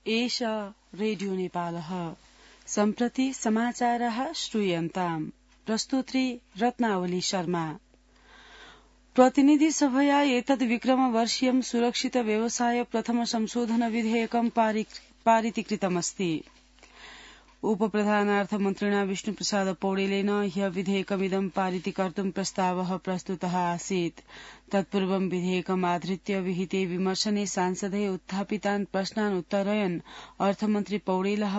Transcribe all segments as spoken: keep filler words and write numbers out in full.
एष रेडियो नेपालः। सम्प्रति समाचारः श्रूयन्ताम्। प्रस्तुत्री रत्नावली शर्मा। प्रतिनिधि सभया एतद् विक्रमवर्षीयं सुरक्षित व्यवसाय प्रथम संशोधन विधेयकं पारितीकृतमस्ति। उपप्रधानार्थमन्त्रिणा विष्णुप्रसाद पौडेलेन ह्य विधेयकमिदं पारितीकर्तुं प्रस्तावः प्रस्तुतः आसीत्। तत्पूर्वं विधेयकमाधृत्य विहिते विमर्शने सांसदै उत्थापितान् प्रश्नान् उत्तरयन् अर्थमन्त्री पौडेलः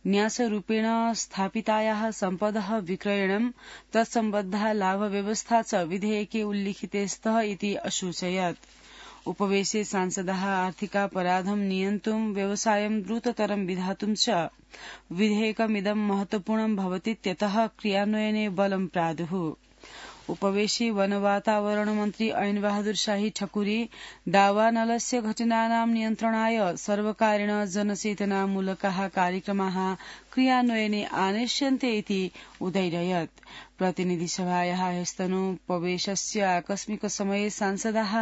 न्यासरूपेण स्थापितायाः सम्पदः विक्रयणं तत्सम्बद्धा लाभव्यवस्था च विधेयके उल्लिखिते स्तः इति असूचयत्। उपवेशे सांसदाः आर्थिकापराधं नियन्तुं व्यवसायं द्रुततरं विधातुं च विधेयकमिदं महत्वपूर्णं भवतीत्यतः क्रियान्वयने बलं प्रादुः। उपवेशे वन वातावरण मन्त्री ऐन बहादुर शाही ठकुरी दावानलस्य घटनानां नियन्त्रणाय सर्वकारेण जनचेतनामूलकाः कार्यक्रमाः क्रियान्वयने आनेष्यन्ते इति उदैरयत्। प्रतिनिधिसभायाः ह्यस्तनोपवेशस्य आकस्मिक समये सांसदाः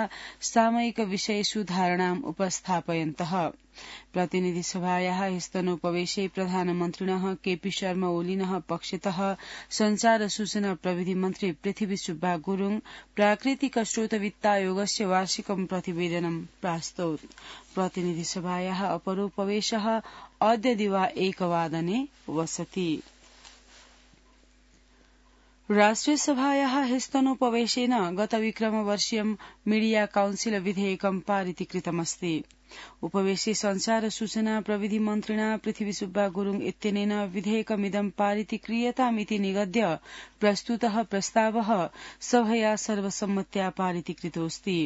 सामयिक विषयेषु धारणाम् उपस्थापयन्तः। प्रतिनिधिसभायाः ह्यस्तनोपवेशे प्रधानमन्त्रिणः केपी शर्मा ओलीनः पक्षतः संचार सूचना प्रविधि मन्त्री पृथ्वी सुब्बा गुरुङ प्राकृतिक स्रोत वित्तायोगस्य वार्षिकं प्रतिवेदनं प्रास्तौत्। प्रतिनिधिसभायाः अपरोपवेशः अद्य दिवा एकवादने वसति। राष्ट्रियसभायाः ह्यस्तनोपवेशेन गतविक्रमवर्षीयं मीडिया काउन्सिल विधेयकं पारितीकृतमस्ति। उपवेशे संचार सूचना प्रविधि मन्त्रिणा पृथ्वी सुब्बा गुरुङ इत्यनेन विधेयकमिदं पारितीक्रियतामिति निगद्य प्रस्तुतः प्रस्तावः सभया सर्वसम्मत्या पारितीकृतोऽस्ति।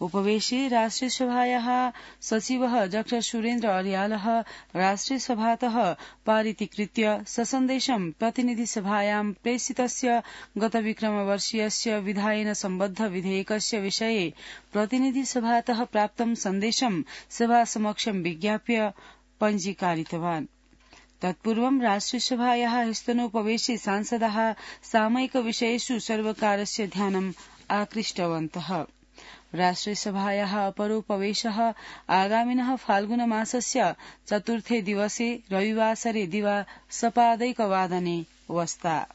उपवेशे राष्ट्रियसभायाः सचिवः डॉ सुरेन्द्र अर्यालः राष्ट्रियसभातः पारितीकृत्य ससन्देशं प्रतिनिधिसभायां प्रेषितस्य गतविक्रमवर्षीयस्य विधायेन सम्बद्ध विधेयकस्य विषये प्रतिनिधिसभातः प्राप्तं सन्देशं सभा समक्षं विज्ञाप्य पञ्जीकारितवान्। तत्पूर्वं राष्ट्रियसभायाः ह्यस्तनोपवेशे सांसदाः सामयिक विषयेषु सर्वकारस्य ध्यानम् आकृष्टवन्तः। राष्ट्रियसभायाः अपरोपवेशः आगामिनः फाल्गुनमासस्य चतुर्थे दिवसे रविवासरे दिवा सपादैकवादने वस्ता।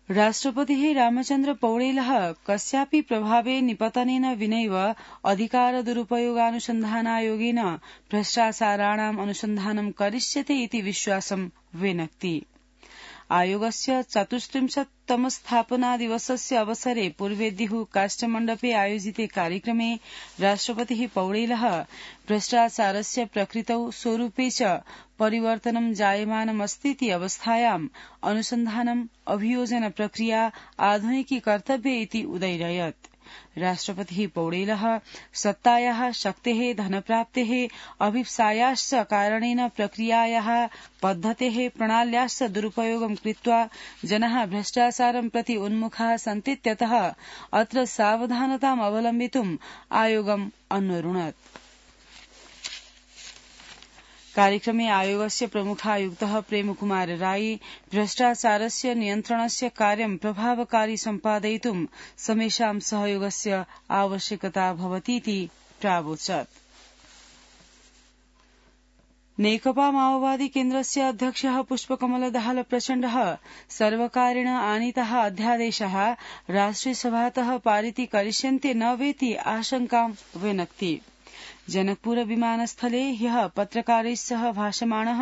राष्ट्रपतिः रामचन्द्र पौडेलः कस्यापि प्रभावे निपतनेन विनैव अधिकार दुरुपयोगानुसन्धानायोगेन भ्रष्टाचाराणाम् अनुसन्धानं करिष्यते इति विश्वासं व्यनक्ति। आयोगस्य चतुस्त्रिंशत्तम स्थापना दिवसस्य अवसरे पूर्वेद्युः काष्ठमण्डपे आयोजिते कार्यक्रमे राष्ट्रपतिः पौडेलः भ्रष्टाचारस्य प्रकृतौ स्वरूपे च परिवर्तनं जायमानमस्तीति अवस्थायाम् अनुसन्धानम् अभियोजन प्रक्रिया आधुनिकीकर्तव्य इति उदैरयत्। राष्ट्रपतिः पौडेलः सत्तायाः शक्तेः धनप्राप्तेः अभिप्सायाश्च कारणेन प्रक्रियायाः पद्धतेः प्रणाल्याश्च दुरुपयोगं कृत्वा जनाः भ्रष्टाचारं प्रति उन्मुखाः सन्तीत्यतः अत्र सावधानताम् अवलम्बितुम् आयोगम् अन्वरुणत्। कार्यक्रमे आयोगस्य प्रमुखायुक्तः प्रेमकुमार राई भ्रष्टाचारस्य नियन्त्रणस्य कार्यं प्रभावकारी सम्पादयितुं समेषां सहयोगस्य आवश्यकता भवतीति प्रावोचत्। नेकपा माओवादी केन्द्रस्य अध्यक्षः पुष्पकमल दाहाल प्रचण्डः सर्वकारेण आनीताः अध्यादेशाः राष्ट्रियसभातः पारितीकरिष्यन्ते न वेति आशंकां व्यनक्ति। जनकपुर विमानस्थले ह्यः पत्रकारैः सह भाषमाणः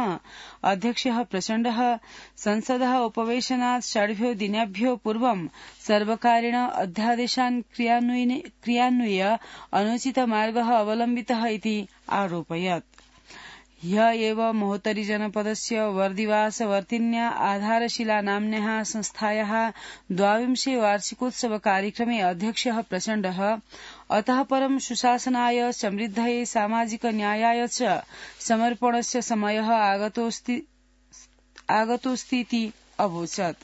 अध्यक्षः प्रचण्डः संसदः उपवेशनात् षड्भ्यो दिनेभ्यो पूर्वं सर्वकारेण अध्यादेशान् क्रियान्वय्य अनुचित मार्गः अवलम्बितः इति आरोपयत्। ह्य एव महोत्तरी जनपदस्य वर्दिवासवर्तिन्या आधारशिला नाम्न्याः संस्थायाः द्वाविंशे वार्षिकोत्सव कार्यक्रमे अध्यक्षः प्रचण्डः अतः परं सुशासनाय समृद्धये सामाजिक न्यायाय च समर्पणस्य समयः आगतोऽस्तीति अवोचत्।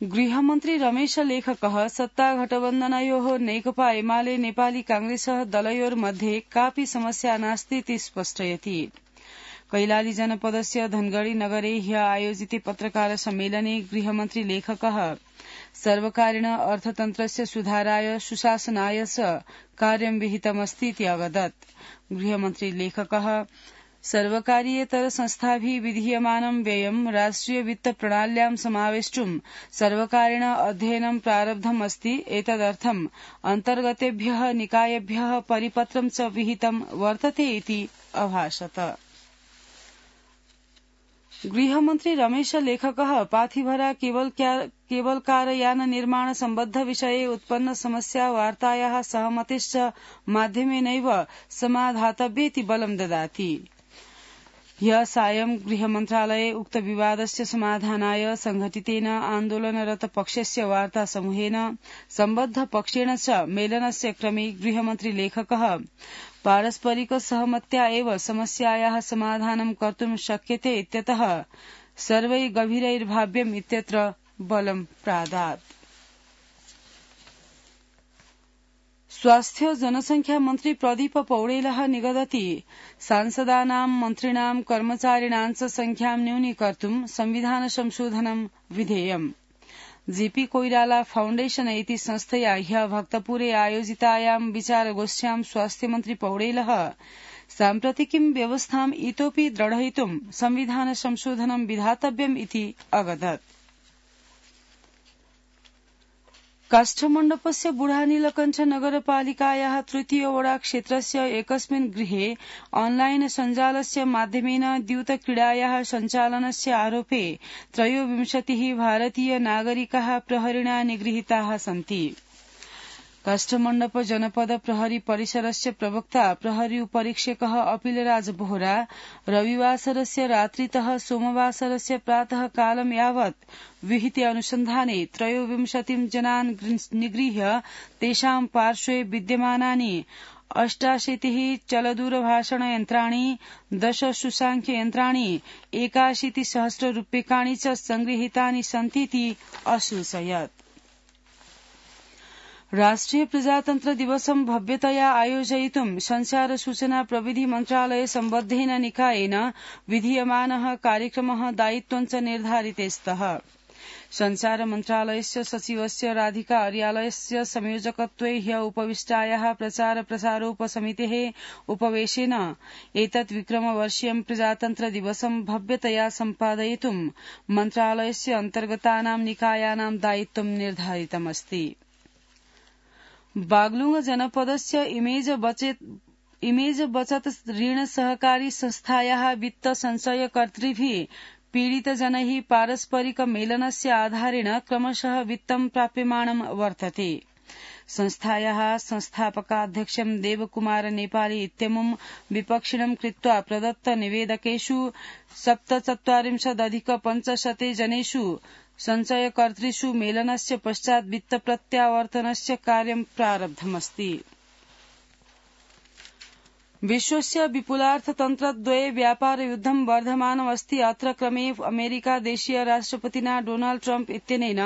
गृहमन्त्री रमेश लेखकः सत्ताघटबन्धनयोः नेकपा एमाले नेपाली कांग्रेसः दलयोर्मध्ये कापि समस्या नास्तीति स्पष्टयति। कैलाली जनपदस्य धनगढ़ी नगरे ह्य आयोजिते पत्रकार सम्मेलने गृहमन्त्री लेखकः सर्वकारेण अर्थतन्त्रस्य सुधाराय सुशासनाय च कार्यं विहितमस्तीति अवदत्। गृहमन्त्री लेखकः सर्वकारीयेतर संस्थाभिः विधीयमानं व्ययं राष्ट्रिय वित्त प्रणाल्यां समावेष्टुं सर्वकारेण अध्ययनं प्रारब्धम् अस्ति। एतदर्थम् अन्तर्गतेभ्यः निकायेभ्यः परिपत्रं च विहितं वर्तते इति अभाषत। गृहमन्त्री रमेश लेखकः पाथिभरा केबलकारयान निर्माण सम्बद्ध विषये उत्पन्न समस्या वार्तायाः सहमतेश्च माध्यमेनैव समाधातव्येति बलं ददाति। ह्यः सायं गृहमन्त्रालये उक्त विवादस्य समाधानाय संघटितेन आन्दोलनरत पक्षस्य वार्ता समूहेन सम्बद्ध पक्षेण च मेलनस्य क्रमे गृहमन्त्री लेखकः पारस्परिक सहमत्या एव समस्यायाः समाधानं कर्तुं शक्यते इत्यतः सर्वैः गभीरैर्भाव्यम् इत्यत्र बलं प्रादात्। स्वास्थ्य जनसंख्या मन्त्री प्रदीप पौडेलः निगदति सांसदानां मन्त्रिणां कर्मचारिणां च संख्यां न्यूनीकर्तुं संविधान संशोधनं विधेयम्। जेपी कोइराला फाउण्डेशन इति संस्थया ह्यः भक्तपुरे आयोजितायां विचारगोष्ठ्यां स्वास्थ्यमन्त्री पौडेलः साम्प्रतिकीं व्यवस्थाम् इतोऽपि दृढयितुं संविधान संशोधनं विधातव्यम् इति अवदत्। काष्ठमण्डपस्य बुढानीलकण्ठ नगरपालिकायाः तृतीय वडा क्षेत्रस्य एकस्मिन् गृहे ऑनलाइन सञ्जालस्य माध्यमेन द्यूतक्रीडायाः सञ्चालनस्य आरोपे त्रयोविंशतिः भारतीय नागरिकाः प्रहरिणा निगृहीताः सन्ति। काष्ठमण्डप जनपद प्रहरी परिसरस्य प्रवक्ता प्रहरी उपरीक्षकः अपिलराज बोहरा रविवासरस्य रात्रितः सोमवासरस्य प्रातः कालं यावत् विहिते अनुसन्धाने त्रयोविंशतिं जनान् निगृह्य तेषां पार्श्वे विद्यमानानि अष्टाशीतिः चलदूरभाषणयन्त्राणि दश सुसांख्ययन्त्राणि एकाशीतिसहस्र रूप्यकाणि च संगृहीतानि सन्तीति असूचयत्। राष्ट्रिय प्रजातन्त्र दिवसं भव्यतया आयोजयितुं संचार सूचना प्रविधि मन्त्रालय सम्बद्धेन निकायेन विधीयमानः कार्यक्रमः दायित्वञ्च निर्धारिते स्तः। संचार मन्त्रालयस्य सचिवस्य राधिका अर्यालयस्य संयोजकत्वे ह्यः उपविष्टायाः प्रचार प्रसारोपसमितेः उपवेशेन एतत् विक्रमवर्षीयं प्रजातन्त्र दिवसं भव्यतया सम्पादयितुं मन्त्रालयस्य अन्तर्गतानां निकायानां दायित्वं निर्धारितमस्ति। बागलुंग जनपदस्य इमेज बचत इमेज बचत ऋण सहकारी संस्थायाः वित्त संचयकर्तृभिः पीडितजनैः पारस्परिक मेलनस्य आधारेण क्रमशः वित्तं प्राप्यमाणं वर्तते। संस्थायाः संस्थापकाध्यक्षं देवकुमार नेपाली इत्यमुं विपक्षिणं कृत्वा प्रदत्त निवेदकेषु सप्तचत्वारिंशदधिक पञ्चशते जनेषु संचयकर्तृषु मेलनस्य पश्चात् वित्त प्रत्यावर्तनस्य कार्यं प्रारब्धमस्ति। विश्वस्य विपुलार्थतन्त्रद्वये व्यापारयुद्धं वर्धमानमस्ति। अत्र क्रमे अमेरिकादेशीय राष्ट्रपतिना डोनाल्ड ट्रम्प इत्यनेन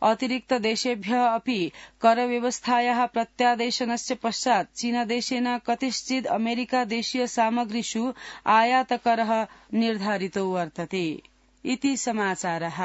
अतिरिक्तदेशेभ्यः अपि करव्यवस्थायाः प्रत्यादेशनस्य पश्चात् चीनदेशेन कतिश्चिद् अमेरिकादेशीय सामग्रीषु आयातकरः निर्धारितो वर्तते इति समाचारः।